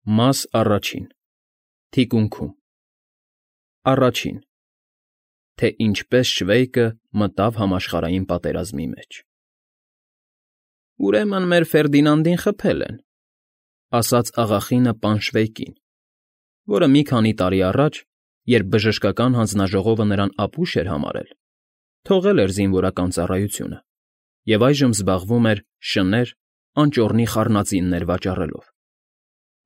Մաս առաջին Թիկունքում Առաջին Թե ինչպես Շվեյկը մտավ համաշխարհային պատերազմի մեջ։ «Ուրեմն մեր Ֆերդինանդին խփել են,֊ ասաց աղախինը պան Շվեյկին, որը մի քանի տարի առաջ, երբ բժշկական հանձնաժողովը նրան ապուշ էր համարել, թողել էր զինվորական ծառայությունը և այժմ զբաղվում էր շներ, անճոռնի խառնածիններ վաճառելով,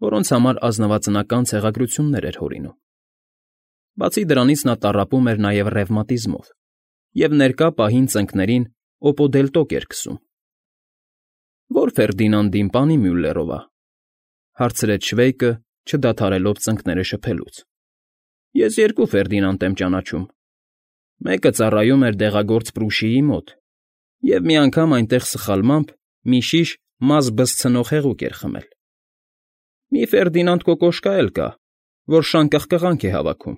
որոնց համար ազնվածնական ցեղագրություններ էր հորինում։ Բացի դրանից նա տառապում էր նաև ռևմատիզմով և ներկա պահին ծնկներին օպոդելտոկ էր քսում։ «Ո՞ր Ֆերդինանդին, պանի Մյուլլերովա,֊ հարցրեց Շվեյկը, չդադարելով ծնկները շփելուց։ «Ես երկու Ֆերդինանդ եմ ճանաչում. մեկը ծառայում էր դեղագործ Պրուշիի մոտ և մի անգամ այնտեղ սխալմամբ մի շիշ մազ բզցնող հեղուկ էր խմել։ Մի Ֆերդինանդ կոկոշկա էլ կա, որ շան կղկղանք է հավաքում։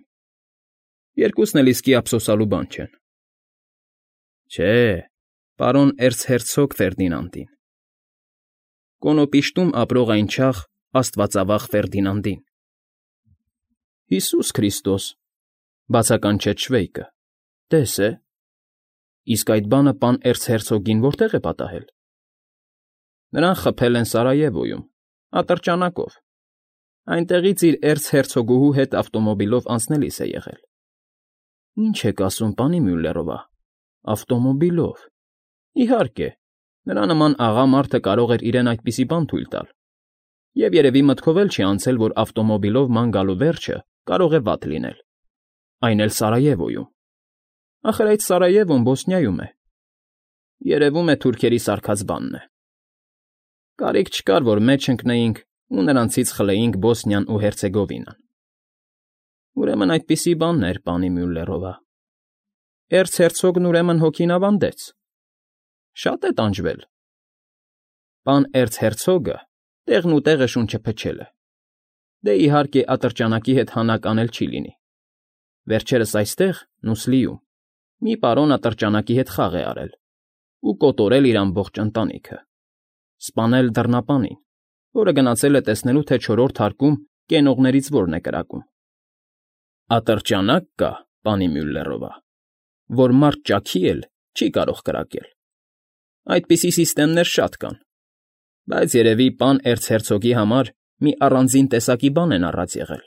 Երկուսն էլ իսկի ափսոսալու բան չեն»։ «Չէ, պարոն էրցհերցոգ Ֆերդինանդին, Կոնոպիշտում ապրող այն չաղ աստվածավախ Ֆերդինանդին»։ «Հիսուս Քրիստոս,֊ բացականչեց Շվեյկը,֊ տես է, իսկ այդ բանը պան էրցհերցոգին որտե՞ղ է պատահել»։ «Նրան խփել են Սարայևոյում, ատրճանակով, այնտեղից իր էրցհերցոգուհու հետ ավտոմոբիլով անցնելիս է եղել»։ «Ինչ եք ասում, պանի Մյուլլերովա, ավտոմոբիլով… Իհարկե, նրա նման աղա մարդը կարող էր իրեն այդպիսի բան թույլ տալ, և երևի մտքով էլ չի անցել, որ ավտոմոբիլով ման գալու վերջը կարող է վատ լինել, այն էլ Սարայևոյում։ Ախր այդ Սարայևոն Բոսնիայում է։ Երևում է թուրքերի սարքած բանն է։ Կարիք չկար, որ մեջ ընկնեինք ու նրանցից խլեինք Բոսնիան ու Հերցեգովինան։ Ուրեմն այդպիսի բանն էր, պանի Մյուլլերովա։ Էրցհերցոգն ուրեմն հոգին ավանդեց։ Շատ է տանջվել։ Պան էրցհերցոգը տեղն ու տեղը շունչը փչել է։ Դե, իհարկե, ատրճանակի հետ հանակ անել չի լինի։ Վերջերս այստեղ, Նուսլիում, մի պարոն ատրճանակի հետ խաղ է արել ու կոտորել իր ամբողջ ընտանիքը, սպանել դռնապանին, որը գնացել է տեսնելու, թե չորրորդ հարկում կենողներից որն է կրակում։ Ատրճանակ կա, պանի Մյուլլերովա, որ մարդ ճաքի էլ չի կարող կրակել։ Այդպիսի սիստեմներ շատ կան, բայց երևի պան էրցհերցոգի համար մի առանձին տեսակի բան են առած եղել։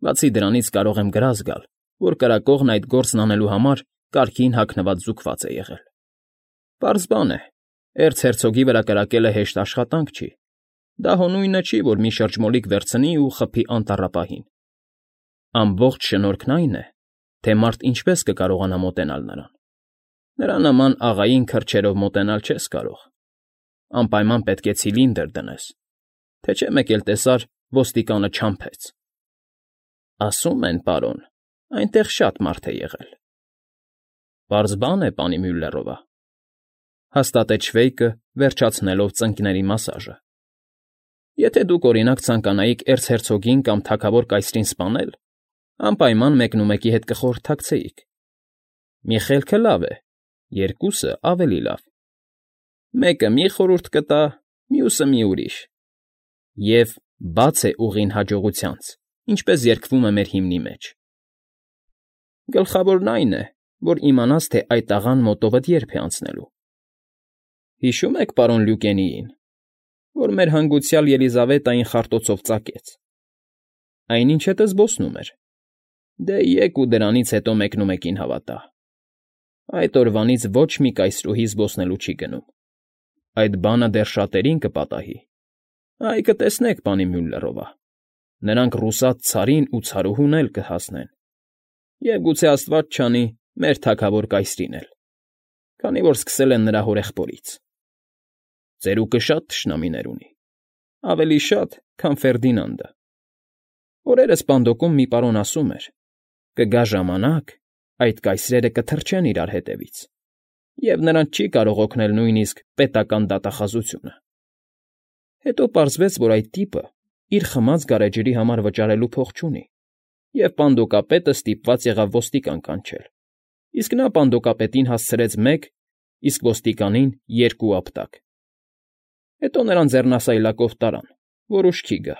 Բացի դրանից կարող եմ գրազ գալ, որ կրակողն այդ գործն անելու համար կարգին հագնված զուկված է եղել։ Պարզ բան է, էրցհերցոգի վրա կրակելը հեշտ աշխատանք չի։ Դա հո նույնը չի, որ մի շրջմոլիկ վերցնի ու խփի անտառապահին։ Ամբողջ շնորհքն այն է, թե մարդ ինչպես կկարողանա մոտենալ նրան։ Նրա նման աղային քրջերով մոտենալ չես կարող։ Անպայման պետք է ցիլինդր դնես, թե չէ մեկ էլ տեսար ոստիկանը չամփեց։ Ասում են, պարոն, այնտեղ շատ մարդ է եղել։ Պարզ բան է, պանի Մյուլլերովա, հաստատեց Շվեյկը, վերջացնելով ծնկների մասաժը։ Եթե դուք, օրինակ, ցանկանայիք էրցհերցոգին կամ թագավոր կայսրին սպանել, անպայման մեկնումեկի հետ կխորհրդակցեիք։ Մի խելքը լավ է, երկուսը ավելի լավ։ Մեկը մի խորհուրդ կտա, մյուսը մի ուրիշ։ Եվ բաց է ուղին հաջողությանց, ինչպես երգվում է մեր հիմնի մեջ։ Գլխավորն այն է, որ իմանաս, թե այդ աղան մոտովդ երբ է անցնելու։ Հիշո՞ւմ եք պարոն Լյուկենիին, որ մեր հանգուցյալ Ելիզավետային խարտոցով ծակեց։ Այնինչ հետը զբոսնում էր։ Դե եկ ու դրանից հետո մեկնումեկին հավատա։ Այդ օրվանից ոչ մի կայսրուհի զբոսնելու չի գնում։ Այդ բանը դեռ շատերին կպատահի։ Այ կտեսնեք, պանի Մյուլլերովա, նրանք ռուսաց ցարին ու ցարուհուն էլ կհասնեն։ Եվ գուցե աստված չանի, մեր թագավոր կայսրին էլ, քանի որ սկսել են նրա հորեղբորից։ Ծերուկը շատ թշնամիներ ունի, ավելի շատ, քան Ֆերդինանդը։ Օրերս Պանդոկում մի պարոն ասում էր. կգա ժամանակ, այդ կայսրերը կթռչեն իրար հետևից, և նրանց չի կարող օգնել նույնիսկ պետական դատախազությունը։ Հետո պարզվեց, որ այդ տիպը իր խմած գարեջրի համար վճարելու փող չունի, և պանդոկապետը ստիպված եղավ ոստիկան կանչել, իսկ նա պանդոկապետին հասցրեց 1, իսկ ոստիկանին 2 ապտակ։ Հետո նրան ձեռնասայլակով տարան, որ ուշքի գա։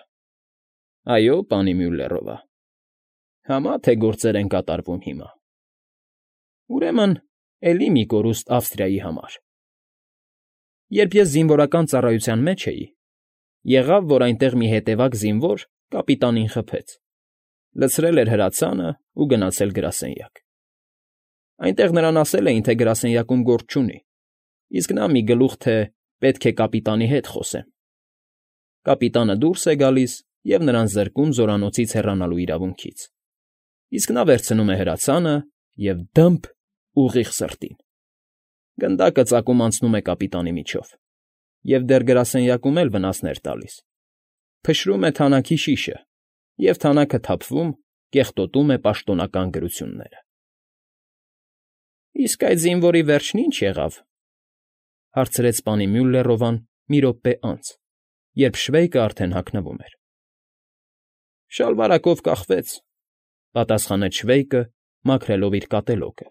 Այո, պանի Մյուլլերովա։ Համա թե գործեր են կատարվում հիմա։ Ուրեմն, էլի մի կորուստ Ավստրիայի համար։ Երբ ես զինվորական ծառայության մեջ էի, եղավ, որ այնտեղ մի հետևակ զինվոր կապիտանին խփեց, լցրել էր հրացանը ու գնացել գրասենյակ։ Այնտեղ նրան ասել էին, թե գրասենյակում գործ չունի, իսկ նա մի գլուխ, թե պետք է կապիտանի հետ խոսեմ։ Կապիտանը դուրս է գալիս և նրան զրկում զորանոցից հեռանալու իրավունքից։ Իսկ նա վերցնում է հրացանը և դմփ ուղիղ սրտին։ Գնդակը ծակում անցնում է կապիտանի միջով, և դեռ գրասենյակում էլ վնասներ տալիս։ Փշրում է թանաքի շիշը, և թանաքը թափվում, կեղտոտում է պաշտոնական գրությունները։ ֊ Իսկ այդ զինվորի վերջն ի՞նչ եղավ,֊ հարցրեց պանի Մյուլլերովան մի րոպե անց, երբ Շվեյկը արդեն հագնվում էր։ ֊ Շալվարակով կախվեց,֊ պատասխանեց Շվեյկը, մաքրելով իր կատելոկը։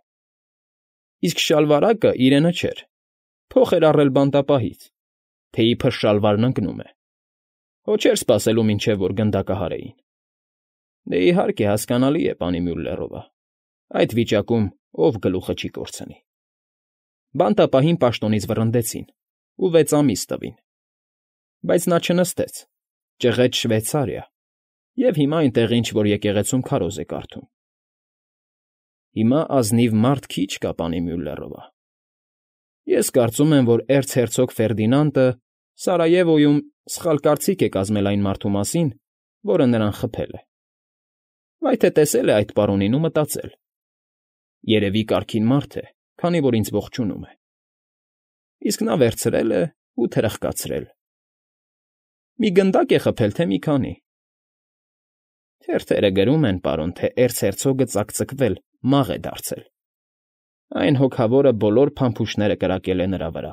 Իսկ շալվարակը իրենը չէր, փող էր առել բանտապահից, թե իբր շալվարն ընկնում է։ Հո չէր սպասելու, մինչև որ գնդակը հարեին։ Դե, իհարկե, հասկանալի է, պանի Մյուլլերովա, այդ վիճակում ով գլուխը չի կորցնի։ Բանտապահին պաշտոնից վռնդեցին ու 6 ամիս տվին։ Բայց նա չնստեց, ճղեց Շվեյցարիա, և հիմա այնտեղ ինչ֊որ եկեղեցում քարոզ է կարդում։ Հիմա ազնիվ մարդ քիչ կա, պանի Մյուլլերովա։ Ես կարծում եմ, որ էրցհերցոգ Ֆերդինանդը Սարայևոյում սխալ կարծիք է կազմել այն մարդու մասին, որը նրան խփել է։ Վայ թե տեսել է այդ պարոնին ու մտածել. երևի կարգին մարդ է, քանի որ ինձ ողջունում է։ Իսկ նա վերցրել է ու թրխկացրել։ Մի գնդակ է խփել, թե մի քանի։ Թերթերը գրում են, պարոն, թե էրցհերցոգը ծակծկվել, մաղ է դարձել։ Այն հոգավորը բոլոր փամփուշտները կրակել է նրա վրա։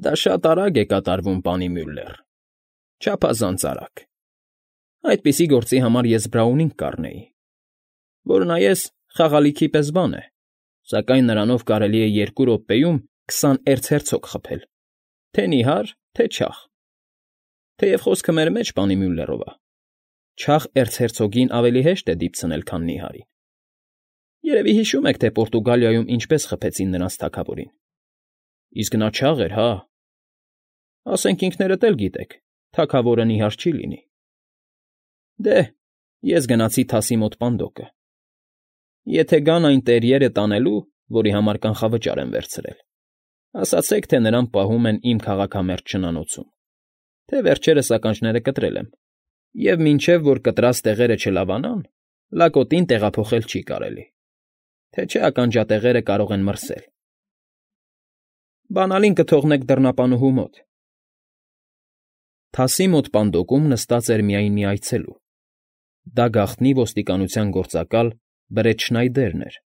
Դա շատ արագ է կատարվում, պանի Մյուլլեր, չափազանց արագ։ Այդպիսի գործի համար ես Բրաունինգ կառնեի, որ նայես խաղալիքի պես բան է, սակայն նրանով կարելի է 2 րոպեում 20 էրցհերցոգ խփել, թե նիհար, թե չաղ։ Թեև խոսքը մեր մեջ, պանի Մյուլլերովա, չաղ էրցհերցոգին ավելի հեշտ է դիպցնել, քան նիհարին։ Երևի հիշում եք, թե Պորտուգալիայում ինչպես խփեցին նրանց թագավորին։ Իսկ նա չաղ էր, հա։ Ասենք ինքներդ էլ գիտեք, թագավորը նիհար չի լինի։ Դե, ես գնացի թասի մոտ պանդոկը։ Եթե գան այն տերիերը տանելու, որի համար կանխավճար եմ վերցրել, ասացեք, թե նրան պահում են իմ քաղաքամերձ շնանոցում, թե վերջերս ականջները կտրել եմ, և մինչև որ կտրած տեղերը չլավանան, լակոտին տեղափոխել չի կարելի, թե չէ ականջատեղերը կարող են մրսել։ Բանալին կթողնեք դռնապանուհու մոտ։ Թասի մոտ պանդոկում նստած էր միայն մի այցելու։ Դա գաղտնի ոստիկանության գործակալ Բրետ Շնայդերն էր։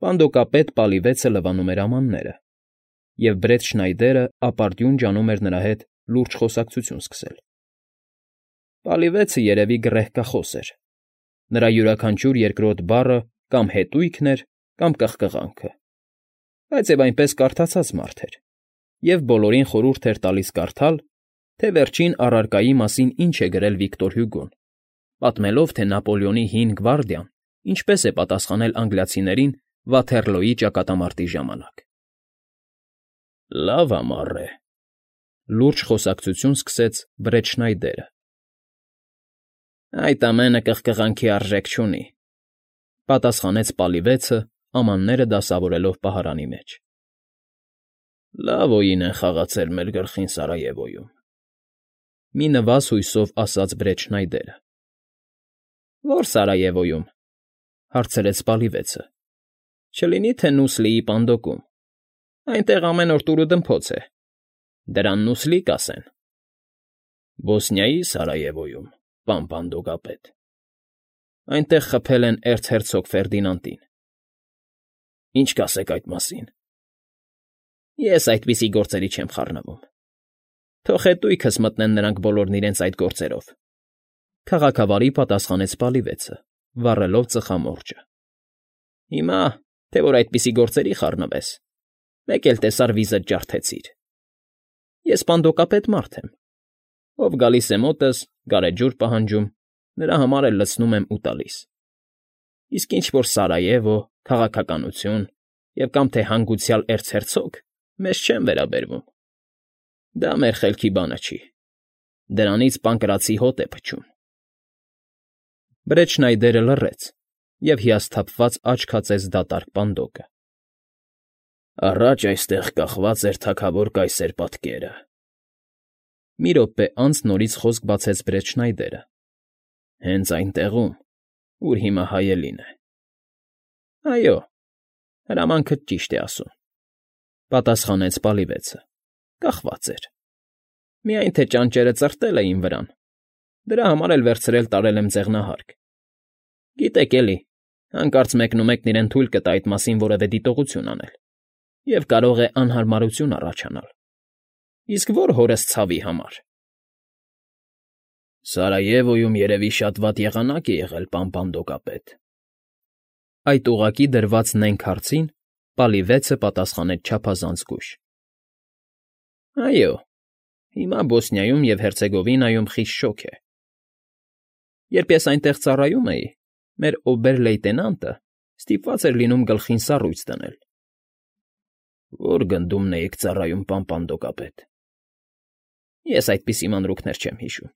Պանդոկապետ Պալիվեցը լվանում էր ամանները, և Բրետ Շնայդերը ապարդյուն ջանում էր նրա հետ լուրջ խոսակցություն սկսել։ Պալիվեցը երևի գռեհկախոս էր։ Նրա յուրաքանչյուր երկրորդ բառը կամ հետույքն էր, կամ կղկղանքը, բայց և այնպես կարդացած մարդ էր, և բոլորին խորհուրդ էր տալիս կարդալ, թե վերջին առարկայի մասին ինչ է գրել Վիկտոր Հյուգոն, պատմելով, թե Նապոլեոնի հին գվարդիան ինչպես է պատասխանել անգլիացիներին Վաթերլոյի ճակատամարտի ժամանակ։ Լավ ամառ է,֊ լուրջ խոսակցություն սկսեց Բրետ Շնայդերը։ Այդ ամենը կղկղանքի արժեք չունի,֊ պատասխանեց Պալիվեցը, ամանները դասավորելով պահարանի մեջ։ Լավ օին են խաղացել մեր գլխին Սարայևոյում,֊ մի նվազ հույսով ասաց Բրետ Շնայդերը։ Ո՞ր Սարայևոյում,֊ հարցրեց Պալիվեցը։ Չլինի թե Նուսլիի պանդոկում։ Այնտեղ ամեն օր տուրուդմփոց է։ Դրան Նուսլի կասեն։ Բոսնիայի Սարայևոյում, պան պանդոկապետ։ Այնտեղ խփել են էրցհերցոգ Ֆերդինանդին։ Ինչ կասեք այդ մասին։ Ես այդպիսի գործերի չեմ խառնվում։ Թող հետույքս մտնեն նրանք բոլորն իրենց այդ գործերով,֊ քաղաքավարի պատասխանեց Պալիվեցը, վառելով ծխամորճը։ Հիմա, թե որ այդպիսի գործերի խառնվես, մեկ էլ տեսար վիզդ ջարդեցիր։ Ես պանդոկապետ մարդ եմ, ով գալիս է մոտս գարեջուր պահանջում, նրա համար էլ լցնում եմ ու տալիս։ Իսկ ինչ որ Սարայևո, քաղաքականություն և կամ թե հանգուցյալ էրցհերցոգ մեզ չեն վերաբերվում։ Դա մեր խելքի բանը չի։ Դրանից Պանկրատցի հոտ է փչում։ Բրեչնայդերը լռեց և հիասթափված աչք հացեց դատարկ պանդոկը։ Առաջ այստեղ կախված էր թագավոր կայսեր պատկերը։ Մի րոպե անց նորից խոսք բացեց Բրեչնայդերը։ Հենց այն տեղում, ուր հիմա հայելին է։ Այո, հրամանքդ ճիշտ է ասում, պատասխանեց Պալիվեցը, կախված էր։ Միայն թե ճանճերը ծրտել էին վրան, դրա համար էլ վերցրել տարել եմ ձեղնահարկ։ Գիտեք էլի, հանկարծ մեկնումեկն իրեն թույլ կտա այդ մասին որևէ դիտողություն անել, և կարող է անհարմարություն առաջանալ։ Իսկ ո՞ր հորս ցավի համար։ Սարայևոյում երևի շատ վատ եղանակ է եղել, պան Պանդոկապետ։ Այդ ուղղակի դրված նենգ հարցին Պալիվեցը պատասխանեց չափազանց զգույշ։ Այո, հիմա Բոսնիայում և Հերցեգովինայում խիստ շոգ է։ Երբ ես այնտեղ ծառայում էի, մեր օբեր֊լեյտենանտը ստիպված էր լինում գլխին սառույց դնել։ Ո՞ր գնդումն էիք ծառայում, պան Պանդոկապետ։ Ես այդպիսի մանրուքներ չեմ հիշում։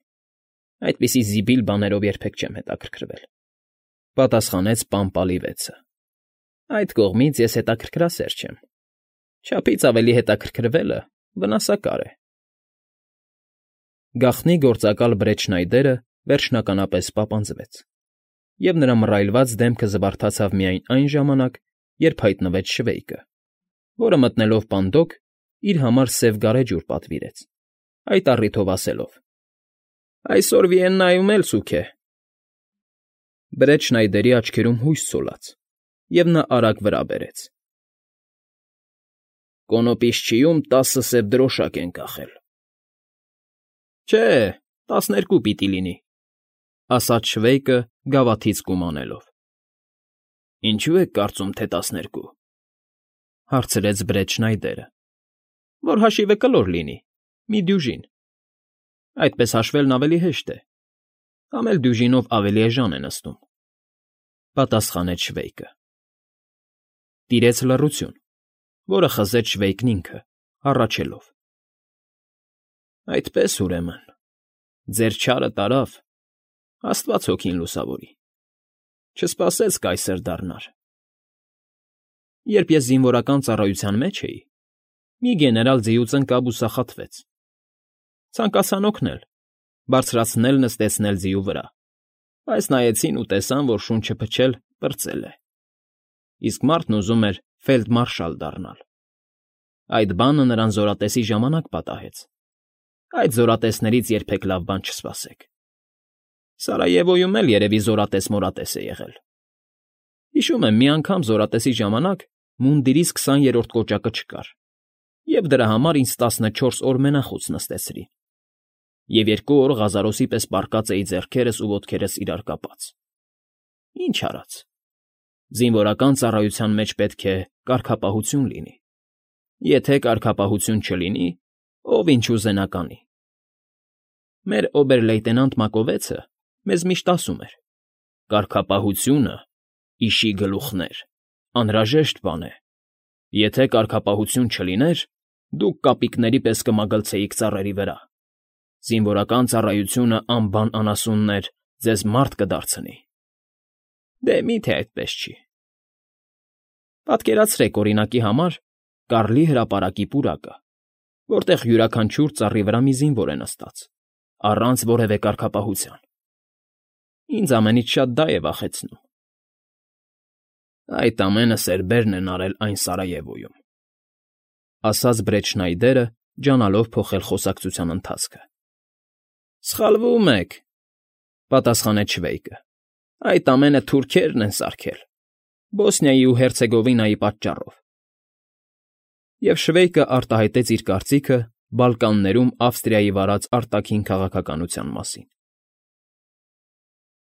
Այդպիսի զիբիլ բաներով երբեք չեմ հետաքրքրվել, պատասխանեց պան Պալիվեցը։ Այդ կողմից ես հետաքրքրասեր չեմ։ Չափից ավելի հետաքրքրվելը վնասակար է։ Գաղտնի գործակալ Բրեչնայդերը վերջնականապես պապանձվեց, և նրա մռայլված դեմքը զվարթացավ միայն այն ժամանակ, երբ հայտնվեց Շվեյկը, որը մտնելով պանդոկ, իր համար սև գարեջուր պատվիրեց, այդ առիթով ասելով. Այսօր Վիեննայում էլ սուգ է։ Բրեչնայդերի աչքերում հույս ցոլած, և նա արագ վրա բերեց. Կոնոպիսչիում 10 սև դրոշակ են կախել։ Չէ, 12 պիտի լինի, ասաց Շվեյկը գավաթից կում անելով։ Ինչու եք կարծում, թե 12, հարցրեց Բրեչնայդերը։ Որ հաշիվը կլոր լինի, մի դյուժին։ Այդպես հաշվելն ավելի հեշտ է, կամ էլ դյուժինով ավելի էժան է նստում, պատասխանեց Շվեյկը։ Տիրեց լռություն, որը խզեց Շվեյկն ինքը, հառաչելով. Այդպես, ուրեմն, ձեր չարը տարավ, Աստված հոգին լուսավորի, չսպասեց կայսր դառնար։ Երբ ես զինվորական ծառայության մեջ էի, մի գեներալ ձիուց ընկավ ու սախատվեց։ Ցանկացան օգնել, բարձրացնել նստեցնել ձիու վրա, բայց նայեցին ու տեսան, որ շունչը փչել պրծել է։ Իսկ մարդն ուզում էր ֆելդմարշալ դառնալ։ Այդ բանը նրան զորատեսի ժամանակ պատահեց։ Այդ զորատեսներից երբեք լավ բան չսպասեք։ Սարայևոյում էլ երևի զորատես֊մորատես է եղել։ Հիշում եմ, մի անգամ զորատեսի ժամանակ մունդիրիս 20-րդ կոճակը չկար, և դրա համար ինձ 14 օր մենախոս նստեցրին, և 2 օր Ղազարոսի պես պառկած էի ձեռքերս ու ոտքերս իրար կապած։ Ինչ արած։ Զինվորական ծառայության մեջ պետք է կարգապահություն լինի։ Եթե կարգապահություն չլինի, ով ինչ ուզենա կանի։ Մեր օբեր֊լեյտենանտ Մակովեցը մեզ միշտ ասում էր. «Կարգապահությունը, իշի գլուխներ, անհրաժեշտ բան է։ Եթե կարգապահություն չլիներ, դուք կապիկների պես կմագլցեիք ծառերի վրա։ Զինվորական ծառայությունը անբան անասուններ ձեզ մարդ կդարձնի»։ Դե մի՞թե այդպես չի։ Պատկերացրեք, օրինակի համար, Կարլի հրապարակի պուրակը, որտեղ յուրաքանչյուր ծառի վրա մի զինվոր է նստած, առանց որևէ կարգապահության։ Ինձ ամենից շատ դա է վախեցնում։ Այդ ամենը սերբերն են արել այն Սարայևոյում, ասաց Բրեչնայդերը, ջանալով փոխել խոսակցության ընթացքը։ Սխալվում եք, պատասխանեց Շվեյկը։ Այդ ամենը թուրքերն են սարքել, Բոսնիայի ու Հերցեգովինայի պատճառով։ Եվ Շվեյկը արտահայտեց իր կարծիքը Բալկաններում Ավստրիայի վարած արտաքին քաղաքականության մասին։